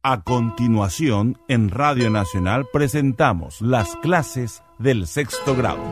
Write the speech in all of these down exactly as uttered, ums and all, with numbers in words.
A continuación, en Radio Nacional presentamos las clases del sexto grado.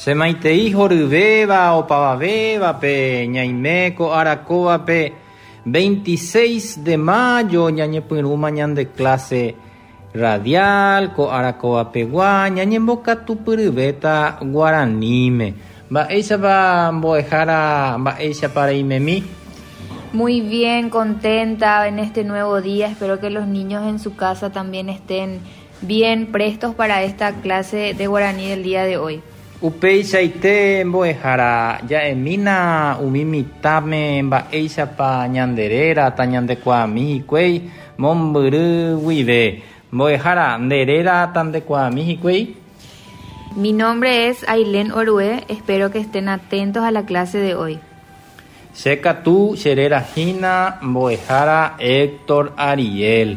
Semaitei horyvéva opavavévape ñaime ko arakóvape veintiséis de mayo ñañepyrũma ñande clase radial ko arakóvapegua ñañembokatupyryvéta guaraníme. Mba'éichapa mbo'ehára, mba'éichapa reimemi? Muy bien, contenta en este nuevo día. Espero que los niños en su casa también estén bien prestos para esta clase de guaraní del día de hoy. Upeichaite mbo'ehára ja'emína umi mitãme mba'éichapa ñanderéra tañandekuaami hikuái mombyry guive. Mbo'ehára nderéra tandekuaami hikuái. Mi nombre es Ailén Orué, espero que estén atentos a la clase de hoy. Che katu cheréra hína mbo'ehára Héctor Ariel.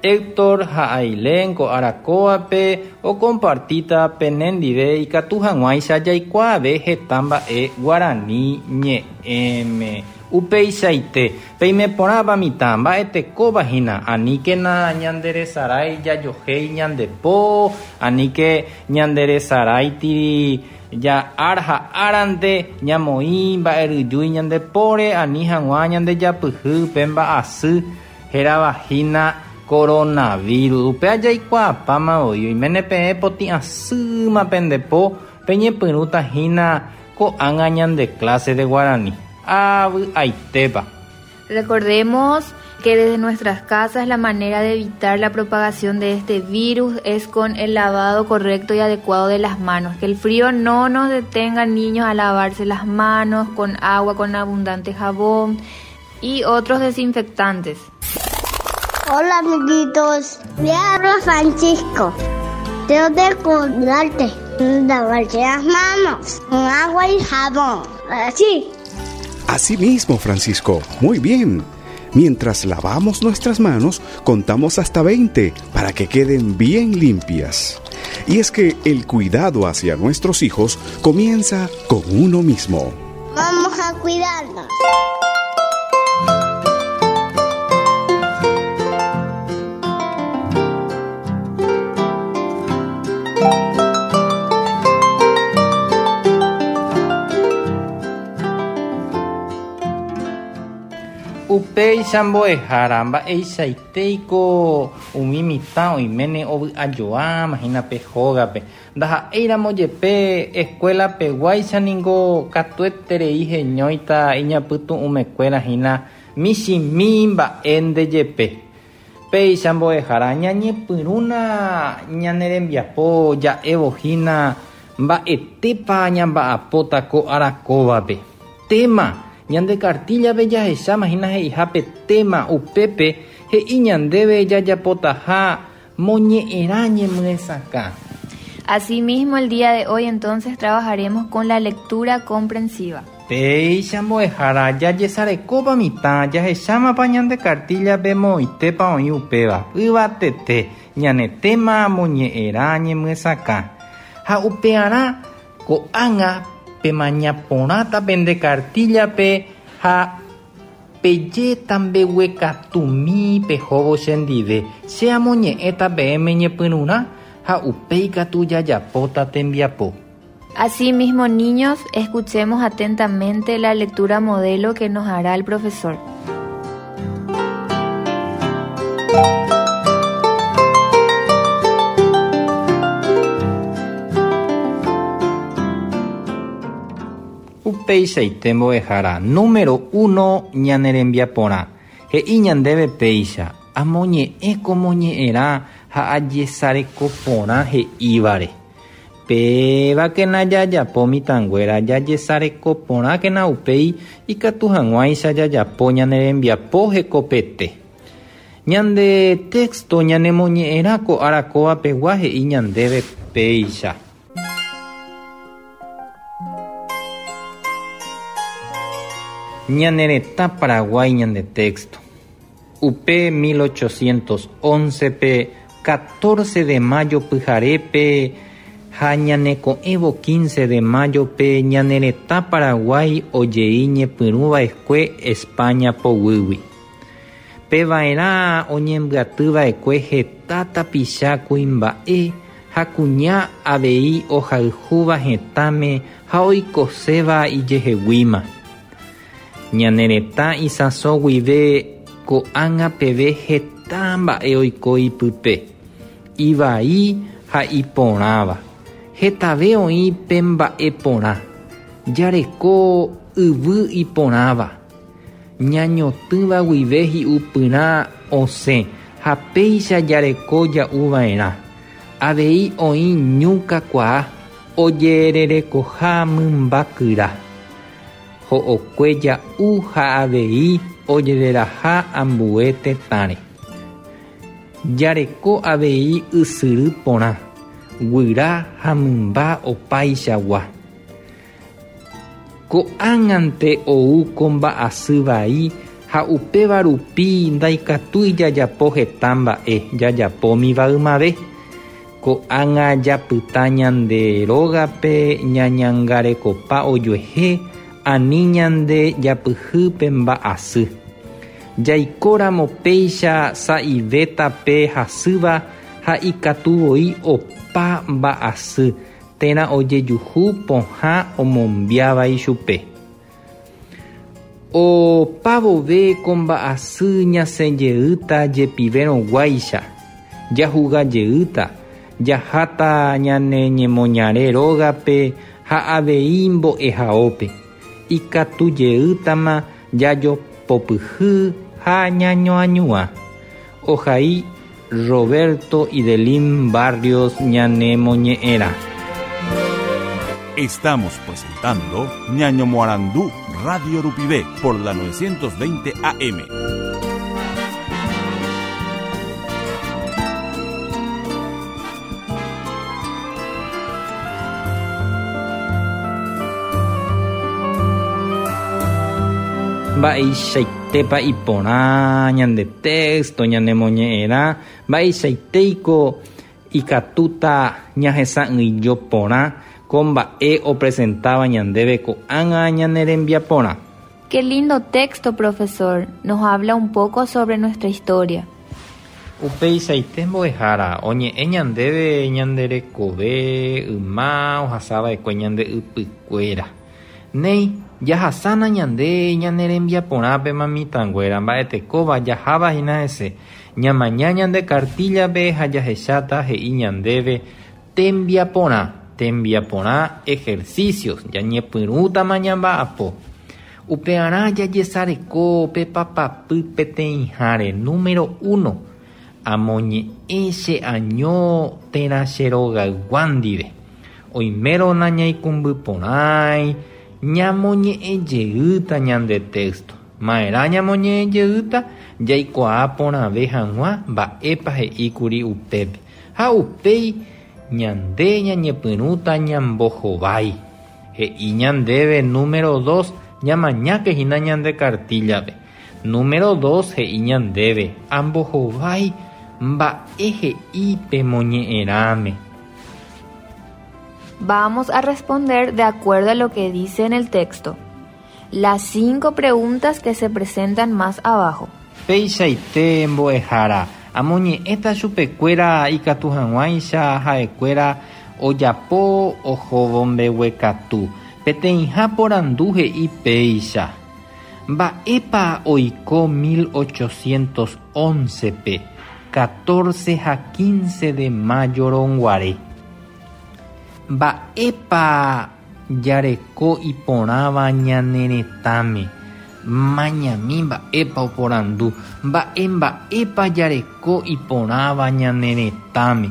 Héctor ha Ailén ko arakóvape okompartíta penendive ikatu hag̃uáicha jaikuaave heta mba'e guarani ñe'ẽme. Upeichaite peimeporãva mitã mba'etekóva hína aníkena ñanderesarái jajohéi ñandepo aníke ñanderesaráitiri ja'ára ha árante ñamoĩ mba'eryjúi ñandepóre ani hag̃ua ñandejapyhy pe mba'asy hérava hína coronavirus. Upe jaikuaapáma voi oiméne peẽ potĩ'asýma pendepo peñepyrũta hína ko'ág̃a ñande clase de guaraní. Avy'aitépa. Recordemos que desde nuestras casas la manera de evitar la propagación de este virus es con el lavado correcto y adecuado de las manos. Que el frío no nos detenga, niños, a lavarse las manos con agua, con abundante jabón y otros desinfectantes. Hola, amiguitos. Le habla Francisco. Tengo que cuidarte, lavarse las manos con agua y jabón. Así. Así mismo, Francisco. Muy bien. Mientras lavamos nuestras manos, contamos hasta veinte para que queden bien limpias. Y es que el cuidado hacia nuestros hijos comienza con uno mismo. Vamos a cuidarnos. Upéicha mbo'ehára mba'eichaiteiko umi mitã oiméne ovy'ajoáma hína pe hógape. Ndaha'éiramo jepe escuela-peguáicha ningo katueterei heñóita iñapytu'ũmekuéra hína michĩmi mba'énte jepe. Péicha mbo'ehára ñañepyrũna ñane rembiapo ja'évo hína mba'etépa ñamba'apóta ko arakóvape. Tema ñande cartillape jahecháma hína he'ihápe tema upépe he'i ñandéve jajapotaha moñe'ẽrã ñemyesakã. Asimismo, el día de hoy entonces trabajaremos con la lectura comprensiva. Péicha mbo'ehára jajesarekópa mitã jahechámapa ñande cartillape moitépa oĩ upéva yvatete ñane tema moñe'ẽrã ñemyesakã. Ha upearã ko'ág̃a pemañaporãta pende cartillape ha pejéta mbeguekatumi pehóvo chendive. Che amoñe'ẽta peẽme ñepyrũrã ha upéi katu jajapóta tembiapo. Asimismo, niños, escuchemos atentamente la lectura modelo que nos hará el profesor. Upeichaite mbo'ehára número uno ñane rembiaporã. He'i ñandéve péicha amoñe'ẽ ko moñe'ẽrã ha ajesareko porã he'ívare. Pévakena jajapo mitãnguéra jajesareko porãkena upéi ikatu hag̃uáicha jajapo ñane rembiapo hekopete. Ñande texto ñanemoñe'ẽrã ko ára kóvapegua he'i ñandéve péicha. Ñane retã Paraguái ñande texto. Upe mil ochocientos once pe catorce de mayo pyharépe ha ñaneko'ẽvo quince de mayo pe ñane retã Paraguái ojei ñepyrũva'ekue España poguýgui. Peva'erã oñembyatyva'ekue heta tapicha kuimba'e ha kuña avei ohayhúva hetãme ha oikoséva ijeheguíma. Ñane retã isãso guive ko'ág̃a peve heta mba'e oiko ipype, ivai ha iporãva. Hetave oĩ pe mba'e porã, jareko yvy iporãva, ñañotỹva guive hi'upyrã osẽ ha péicha jareko ja'uva'erã. Avei oĩ ñu kakuaa ojererekoha mymbakyra. Ho'okue ja'u ha avei ojereraha ambue tetãre. Jareko avei ysyry porã, guyra ha mymba opaichagua. Ko'ág̃ante ou ko mba'asy vai ha upéva rupi ndaikatúi jajapo heta mba'e jajapómiva ymave. Ko'ág̃a japyta ñande rógape ñañangarekopa ojuehe ani ñande japyhy mba'asy. Jaikóramo péicha sa'ivéta pe hasýva ha ikatuvoi opa mba'asy térã ojejuhu pohã omombiáva ichupe. Opavove ko mba'asy ñasẽjeýta jepivérõguáicha, jahugajeýta, jaháta ñane ñemoñare rógape ha avei mbo'ehaópe. Ikatujeýtama jajopopyhy ha ñañoañuã. Ohai Roberto Idelín Barrios ñane moñe'ẽrã. Estamos presentando Ñaño Moarandú Radio Rupivé por la novecientos veinte A M. Mba'eichaitépa iporã ñande texto ñane moñe'ẽrã, mba'eichaiteiko ikatúta ñahesa'ỹijo porã ko mba'e opresentaba ñandéve ko'ág̃a ñane rembiaporã. Qué lindo texto, profesor. Nos habla un poco sobre nuestra historia. Upeichaite mbo'ehára oñe'ẽ ñandéve ñande rekove yma ohasava'ekue ñande ypykuéra. Néi, jahasána ñande ñane rembiaporãpe mitãnguéra mba'etekóva jaháva hína hese. Ñamaña ñande cartillape ha jahecháta he'i ñandéve tembiaporã, tembiaporã ejercicios, ñañepyrũtama ñamba'apo. Upearã jajesareko pe papapy peteĩháre número uno. Amoñe'ẽ che año térã che rogaygua ndive. Oimérõ nañaikũmbyporãi, ñamoñe'ẽjeýta ñande texto. Ma'erã ñamoñe'ẽjeýta jaikuaa porãve hag̃ua mba'épa he'íkuri upépe. Ha upéi ñande ñañepyrũta ñambohovái. He'i ñandéve número dos, ñamañáke hína ñande cartillape. Número dos he'i ñandéve ambohovái mba'e he'i pe moñe'ẽrãme. Vamos a responder de acuerdo a lo que dice en el texto. Las cinco preguntas que se presentan más abajo. Peichaite mbo'ehára, amoñe'ẽta chupekuéra ikatu hag̃uáicha ha'ekuéra ojapo ohóvo mbeguekatu. Peteĩha porandu he'i péicha. Mba'épa oiko mil ochocientos once pe, catorce ha quince de mayo rõguare. Mba'épa jareko iporãva ñane retãme. Mañami mba'épa oporandu, mba'e mba'épa jareko iporãva ñane retãme.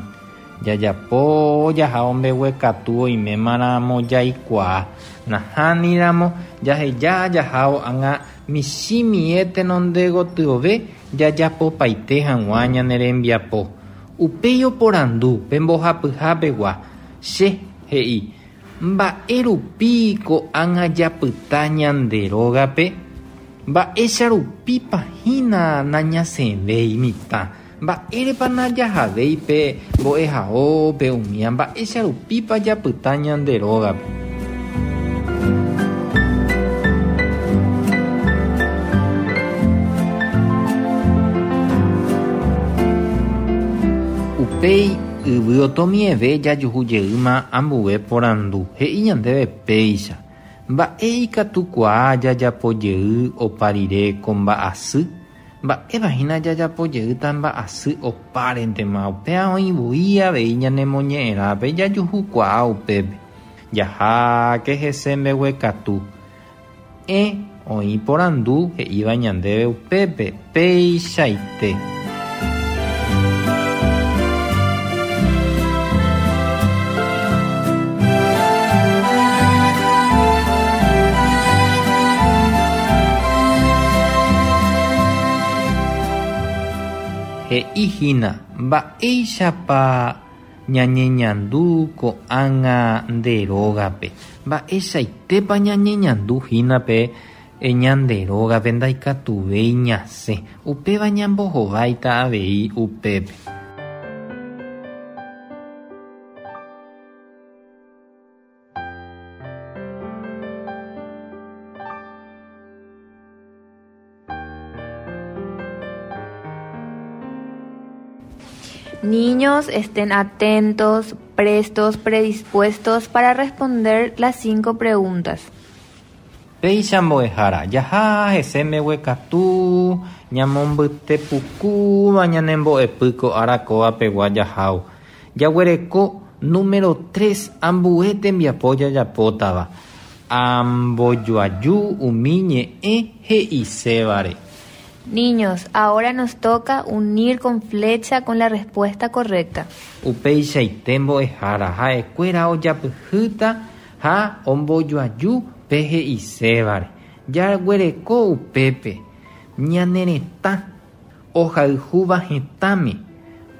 Jajapo jaha ombeguekatu oimémaramo jaikuaa. Nahániramo jaheja jahao ág̃a michĩmie tenonde gotyove jajapopaite hag̃ua ñane rembiapo. Upéi oporandu pe mbohapyhapegua. Che he'i mba'e rupi ko'ág̃a japyta ñande rógape? Mba'éicha rupípa hína nañasẽvéi mitã? Mba'érepa najahavéi pe mbo'ehaópe umía? Mba'éicha rupípa japyta ñande rógape? Upéi yvy otomieve jajuhujeýma ambue porandu. He'i ñandéve péicha. Mba'e ikatukuaa jajapojey opa rire ko mba'asy? Mba'épa hína jajapojeýta mba'asy opárentema? Upéva oĩvoi avei ñanemoñe'ẽrãpe jajuhukuaa upépe. Jaháke hese mbeguekatu. Ẽ oĩ porandu he'íva ñandéve upépe peichaite. He'i hína mba'éichapa ñañeñandu ko'ág̃a nde rógape. Mba'eichaitépa ñañeñandu hína pe ñande rógape ndaikatuvéi ñasẽ. Upéva ñambohováita avei upépe. Niños, estén atentos, prestos, predispuestos para responder las cinco preguntas. Péicha mbo'ehára, jaha hese mbeguekatu, ñamombytepukúva ñanembo'epy ko ára kóvapegua jahávo. Jaguereko número tres ambue tembiapo jajapótava. Ambojoaju umi ñe'ẽ he'isévare. Niños, ahora nos toca unir con flecha con la respuesta correcta. Upeichaite mbo'ehára, ha'ekuéra ojapyhýta ha ombojoaju pe he'isévare. Jaguereko upépe ñane retã ohayhúva hetãme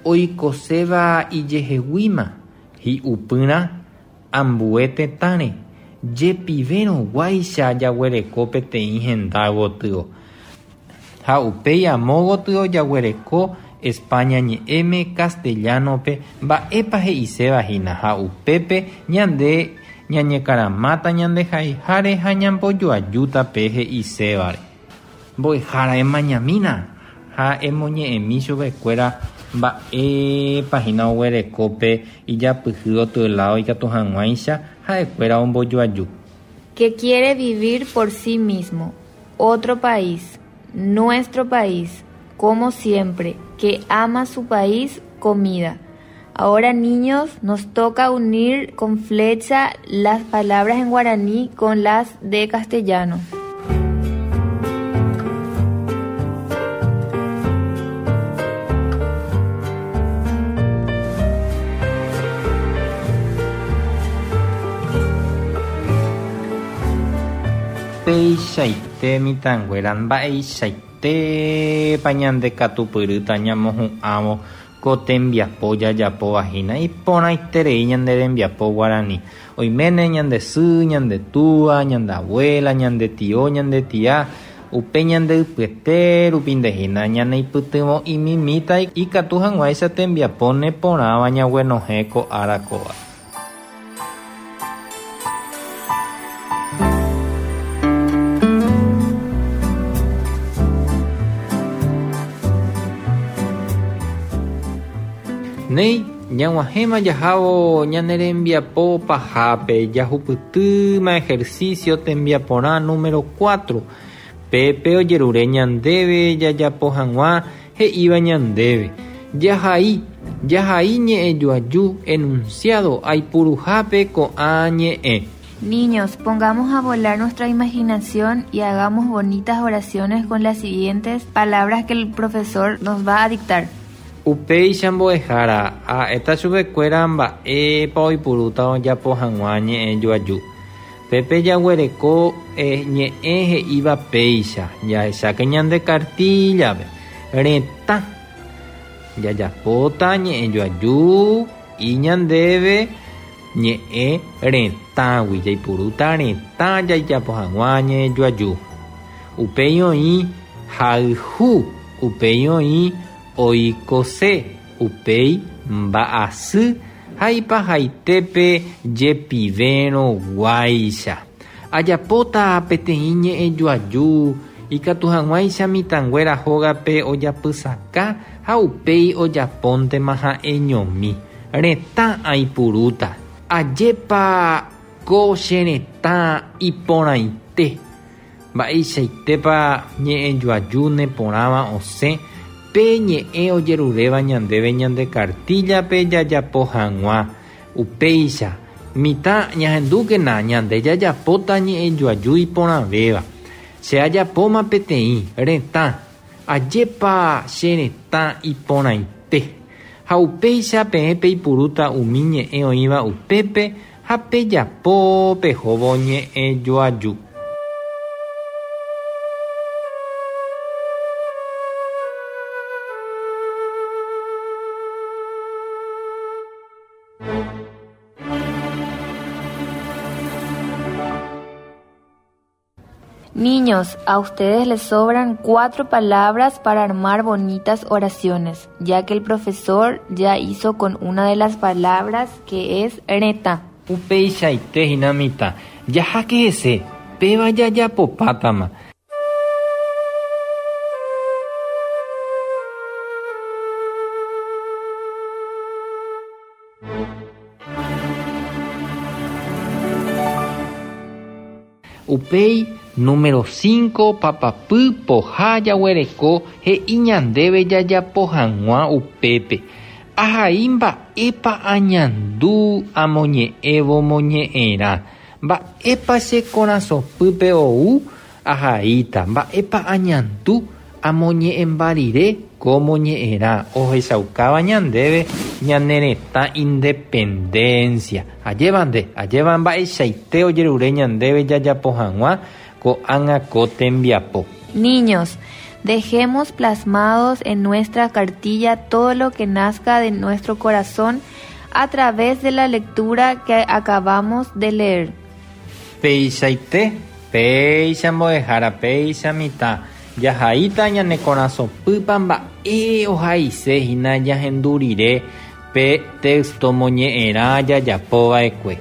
oikoséva ijeheguíma hi'upyrã ambue tetãre jepivérõguáicha jaguereko peteĩ henda gotyo. Ha upéi amo gotyo jaguereko España ñe'ẽme castellano-pe mba'épa he'iséva hína ha upépe ñande ñañekaramáta ñandehaiháre ha ñambojoajúta pe he'isévare. Mbo'ehára emañamína ha emoñe'ẽmi chupekuéra mba'épa hína oguerekópe ijapyhy otyeláo ikatu hag̃uáicha ha'ekuéra ombojoaju. Que quiere vivir por sí mismo, otro país, nuestro país, como siempre, que ama su país, comida. Ahora, niños, nos toca unir con flecha las palabras en guaraní con las de castellano. Peichaite mitãnguéra mba'eichaitépa ñandekatupyrýta ñamohu'ãvo ko tembiapo jajapóva hína iporãiterei ñande rembiapo guarani. Oiméne ñande sy, ñande túa, ñande abuela, ñande tio, ñande tía, upe ñande ypyete rupínte hína ñaneipytyvõ imimíta ikatu hag̃uáicha tembiapo neporãva ñaguenohẽ ko ára kóva. Néi, ñag̃uahẽma jahávo ñane rembiapo pahápe jahupytýma ejercicio tembiaporã número cuatro. Pépe ojerure ñandéve jajapo hag̃ua he'íva ñandéve. Jahai, jahai ñe'ẽjoaju enunciado aipuruhápe ko'ã ñe'ẽ. Niños, pongamos a volar nuestra imaginación y hagamos bonitas oraciones con las siguientes palabras que el profesor nos va a dictar. Upéicha mbo'ehára ha'éta chupekuéra mba'épa oipurúta ojapo hag̃ua ñe'ẽ joaju. Pépe jaguereko ñe'ẽ he'íva péicha jahecháke ñande kartíllape retã jajapóta ñe'ẽ joaju iñandéve ñe'ẽ retãgui jaipurúta retã jaijapo hag̃ua ñe'ẽ joaju. Upéi oĩ hayhu, upéi oĩ oikose, upéi mba'asy ha ipahaitépe jepivérõ guáicha. Ajapóta peteĩ ñe'ẽ joaju ikatu hag̃uáicha mitãnguéra hógape ojapysaka ha upéi ojapóntema ha'eñomi. Retã aipurúta. Ajépa ko che retã iporãite. Mba'eichaitépa ñe'ẽ joaju neporãva osẽ pe ñe'ẽ ojeruréva ñandéve ñande kartíllape jajapo hag̃ua. Upéicha mitã ñahendúkena ñande jajapóta ñe'ẽ joaju iporãvéva. Che ajapóma peteĩ retã. Ajépa che retã iporãite. Ha upéicha peẽ peipurúta umi ñe'ẽ oĩva upépe ha pejapo pehóvo ñe'ẽ joaju. Niños, a ustedes les sobran cuatro palabras para armar bonitas oraciones, ya que el profesor ya hizo con una de las palabras que es retã. Upeichaite hína mitã, jaháke hese, péva jajapopátama. Upéi número cinco papapy poha jaguereko he'i ñandéve jajapo hag̃ua upépe. Ahai mba'épa añandu amoñe'ẽvo moñe'ẽrã. Mba'épa che korasõpýpe ou ahaíta. Mba'épa añandu amoñe'ẽmba rire ko moñe'ẽrã ohechaukáva ñandéve ñane retã independencia. Ajévante, ajéva mba'eichaite ojerure ñandéve jajapo hag̃ua ko'ág̃a ko tembiapo. Niños, dejemos plasmados en nuestra cartilla todo lo que nazca de nuestro corazón a través de la lectura que acabamos de leer. Peichaite, péicha mbo'ehára, péicha mitã. Jahaíta ñane korasõpýpa mba'e ohaise hína jahendu rire pe texto moñe'ẽrã jajapova'ekue.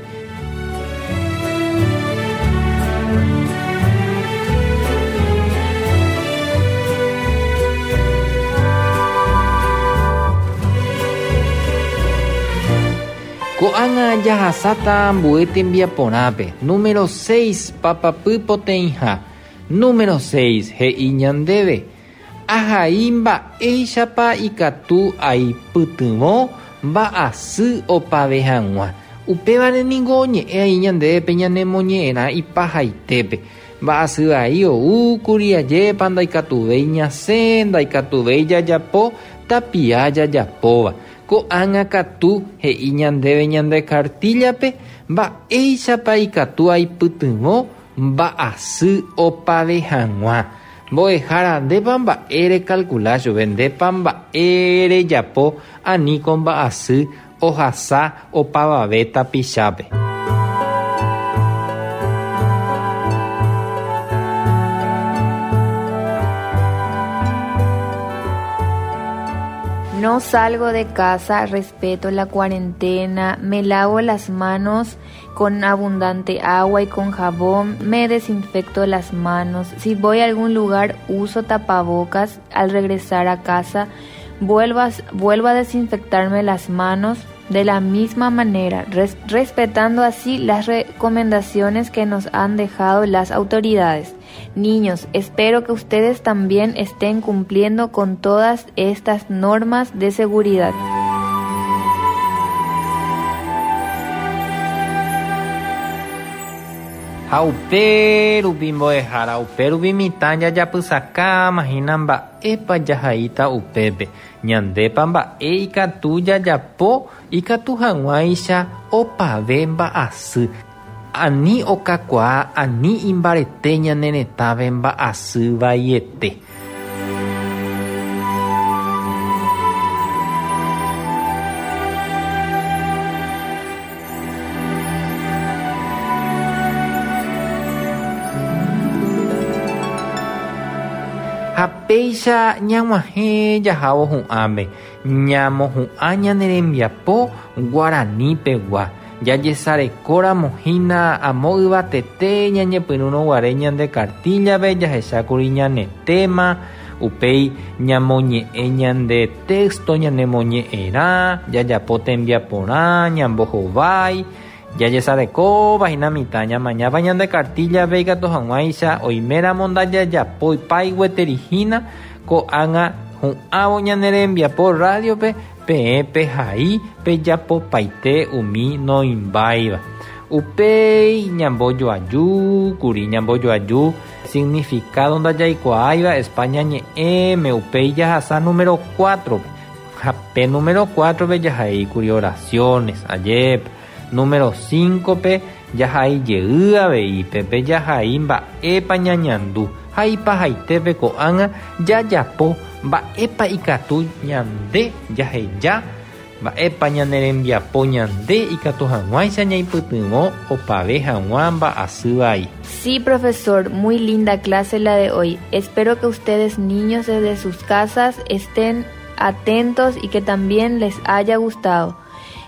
Ko'ág̃a jahasáta ambue tembiaporãpe. Número seis papapy poteĩha. Número seis he'i ñandéve. Ahai mba'éichapa ikatu aipytyvõ mba'asy opave hag̃ua. Upévare ningo oñe'ẽ ai ñandéve ñanemoñe'ẽrã ipahaitépe. Mba'asy vai oúkuri ajépa ndaikatuvéi ñasẽ, ndaikatuvéi jajapo, tapia jajapóva. Ko'ág̃a katu he'i ñandéve ñande kartíllape mba'éichapa ikatu aipytyvõ mba'asy opave hag̃ua. Mbo'ehára ndépa mba'e recalcula chupe, ndépa mba'e rejapo ani ko mba'asy ohasa opavave tapichápe. No salgo de casa, respeto la cuarentena, me lavo las manos con abundante agua y con jabón, me desinfecto las manos. Si voy a algún lugar, uso tapabocas. Al regresar a casa, vuelvo a, vuelvo a desinfectarme las manos de la misma manera, res, respetando así las recomendaciones que nos han dejado las autoridades. Niños, espero que ustedes también estén cumpliendo con todas estas normas de seguridad. Ha upérupi mbo'ehára, upérupi mitã jajapysakãma hína mba'épa jahaíta upépe. Ñandépa mba'e ikatu jajapo ikatu hag̃uáicha opave mba'asy. Ani okakuaa, ani imbarete ñane retãve mba'asy vaiete. Ha péicha ñag̃uahẽ jahávo hu'ãme, ñamohu'ã ñane rembiapo guaranípegua. Jajesarekóramo hína amo yvatete ñañepyrũrõguare ñande cartillape jahechákuri ñane tema, upéi ñamoñe'ẽ ñande texto ñanemoñe'ẽrã, jajapo tembiaporã, ñambohovái, jajesarekóva hína mitã ñamañáva ñande cartillape ikatu hag̃uáicha oiméramo ndajajapói gueteri hína ko'ág̃a hu'ãvo ñane rembiapo radiope peẽ pehai pejapopaite umi noimbáiva. Upéi ñambojoajúkuri, ñambojoaju significado ndajaikuaáiva España ñe'ẽme, upéi jahasa número cuatro. Ha pe número cuatro-pe jahaíkuri oraciones, ajépa. Número cinco-pe jahai jey avei, pépe jahai mba'épa ñañandu. Ha ipahaitépe ko'ág̃a jajapo mba'épa ikatu ñande jaheja, mba'épa ñane rembiapo ñande ikatu hag̃uáicha ñaipytyvõ opave hag̃ua mba'asy vai. Sí, profesor, muy linda clase la de hoy. Espero que ustedes, niños, desde sus casas estén atentos y que también les haya gustado.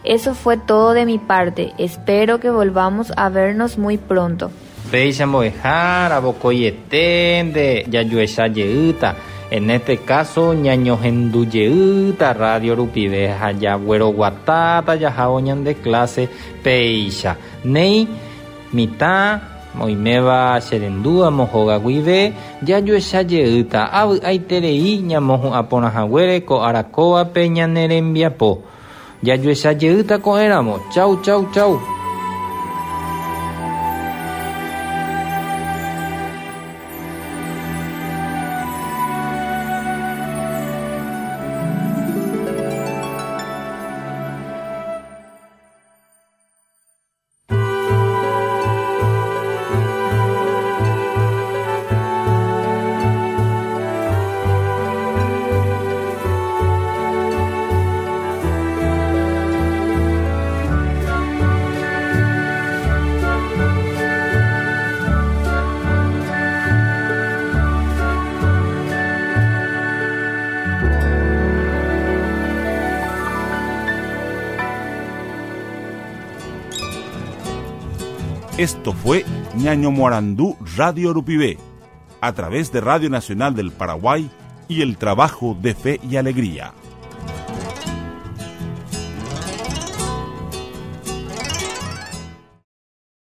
Eso fue todo de mi parte. Espero que volvamos a vernos muy pronto. Péicha mbo'ehára, vokoiete nde jajuecha jeýta. En este caso, ñañohendu jeýta radio rupive ha jagueroguatáta jahávo ñande clase péicha. Néi mitã oiméva cherendúva mohóga guive jajuecha jeýta avy'aiterei ñamohu'ãporãhaguére ko arakóvape ñane rembiapo. Jajuecha jeýta ko'ẽramo. Chau, chau, chau. Esto fue Ñaño Morandú Radio Rupivé, a través de Radio Nacional del Paraguay y el trabajo de Fe y Alegría.